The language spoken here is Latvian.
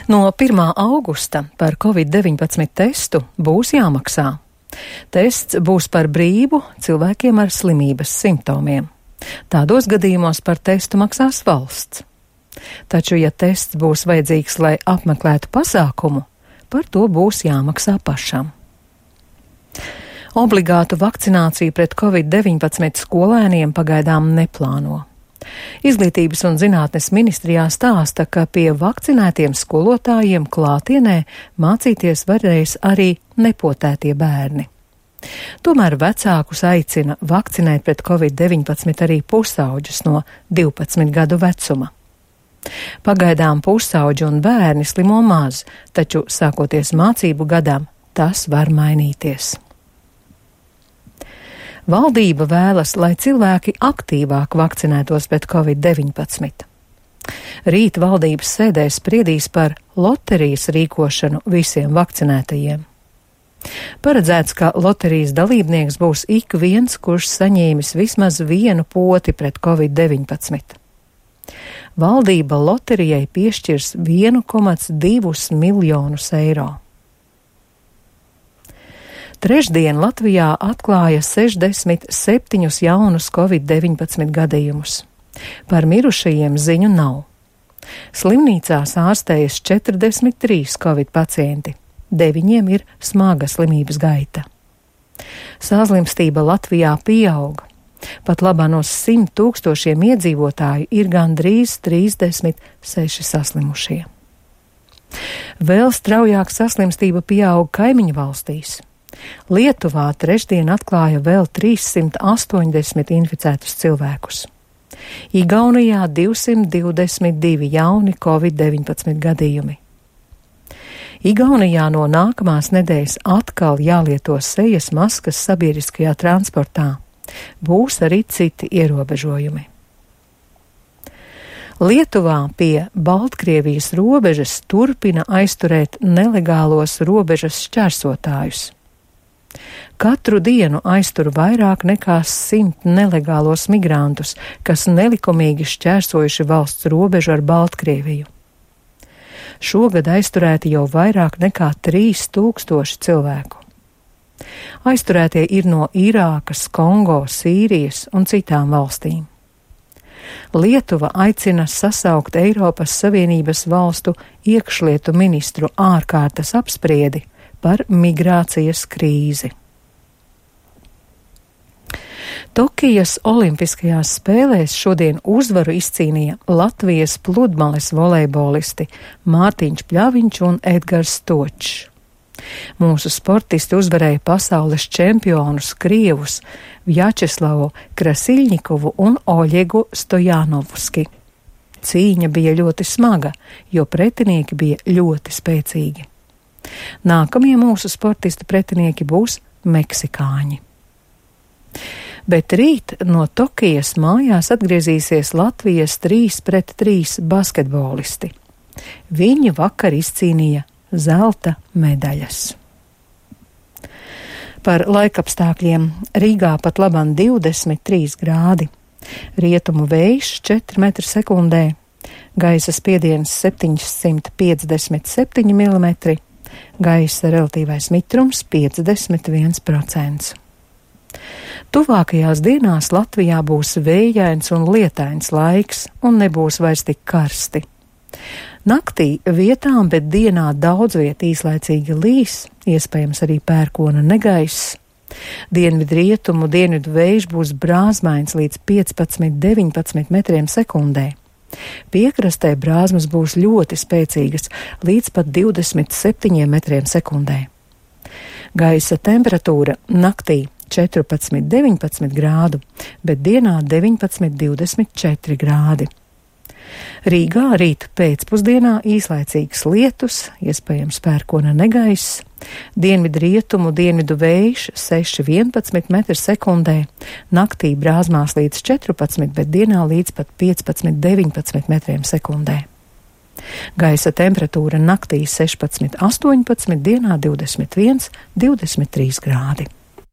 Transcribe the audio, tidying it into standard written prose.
No 1. augusta par Covid-19 testu būs jāmaksā. Tests būs par brīvu cilvēkiem ar slimības simptomiem. Tādos gadījumos par testu maksās valsts. Taču, ja tests būs vajadzīgs, lai apmeklētu pasākumu, par to būs jāmaksā pašam. Obligātu vakcināciju pret Covid-19 skolēniem pagaidām neplāno. Izglītības un zinātnes ministrijā stāsta, ka pie vakcinētiem skolotājiem klātienē mācīties varēs arī nepotētie bērni. Tomēr vecākus aicina vakcinēt pret Covid-19 arī pusauģus no 12 gadu vecuma. Pagaidām pusauģi un bērni slimo maz, taču sākoties mācību gadam, tas var mainīties. Valdība vēlas, lai cilvēki aktīvāk vakcinētos pret Covid-19. Rīt valdības sēdē spriedīs par loterijas rīkošanu visiem vakcinētajiem. Paredzēts, ka loterijas dalībnieks būs ik viens, kurš saņēmis vismaz vienu poti pret Covid-19. Valdība loterijai piešķirs 1,2 miljonus eiro. Trešdien Latvijā atklāja 67 jaunus Covid-19 gadījumus. Par mirušajiem ziņu nav. Slimnīcās ārstējas 43 Covid pacienti, 9 ir smaga slimības gaita. Saslimstība Latvijā pieauga. Pat labā no 100 000 iedzīvotāju ir gandrīz 36 saslimušie. Vēl straujāk saslimstība pieauga kaimiņu valstīs. Lietuvā trešdien atklāja vēl 380 inficētus cilvēkus. Igaunijā 222 jauni Covid-19 gadījumi. Igaunijā no nākamās nedēļas atkal jālieto sejas maskas sabiedriskajā transportā. Būs arī citi ierobežojumi. Lietuvā pie Baltkrievijas robežas turpina aizturēt nelegālos robežas šķērsotājus. Katru dienu aiztur vairāk nekā 100 nelegālos migrantus, kas nelikumīgi šķērsojuši valsts robežu ar Baltkrieviju. Šogad aizturēti jau vairāk nekā 3000 cilvēku. Aizturētie ir no Irākas, Kongo, Sīrijas un citām valstīm. Lietuva aicina sasaukt Eiropas Savienības valstu iekšlietu ministru ārkārtas apspriedi par migrācijas krīzi. Tokijas Olimpiskajās spēlēs šodien uzvaru izcīnīja Latvijas pludmales volejbolisti Mārtiņš Pļaviņš un Edgars Stočs. Mūsu sportisti uzvarēja pasaules čempionus Krievus Vjačeslavu Krasiļņikovu un Oļegu Stojanovski. Cīņa bija ļoti smaga, jo pretinieki bija ļoti spēcīgi. Nākamie mūsu sportistu pretinieki būs meksikāņi. Bet rīt no Tokijas mājās atgriezīsies Latvijas 3-3 basketbolisti. Viņi vakar izcīnīja zelta medaļas. Par laikapstākļiem Rīgā pat labam 23 grādi, rietumu vējš 4 metri sekundē, gaisa spiediens 757 mm, gaisa relatīvais mitrums 51%. Tuvākajās dienās Latvijā būs vējains un lietains laiks un nebūs vairs tik karsti. Naktī vietām, bet dienā daudz viet īslaicīgi līs, iespējams arī pērkona negaiss. Dienvidrietumu dienvidu vējš būs brāzmains līdz 15–19 metriem sekundē. Piekrastē brāzmas būs ļoti spēcīgas, līdz pat 27 metriem sekundē. Gaisa temperatūra naktī 14–19 grādu, bet dienā 19–24 grādi. Rīgā rīt pēcpusdienā īslaicīgs lietus, iespējams pērkona negaiss, dienvidrietumu dienvidu vējš 6–11 metri sekundē, naktī brāzmās līdz 14, bet dienā līdz pat 15–19 metriem sekundē. Gaisa temperatūra naktī 16–18, dienā 21–23 grādi.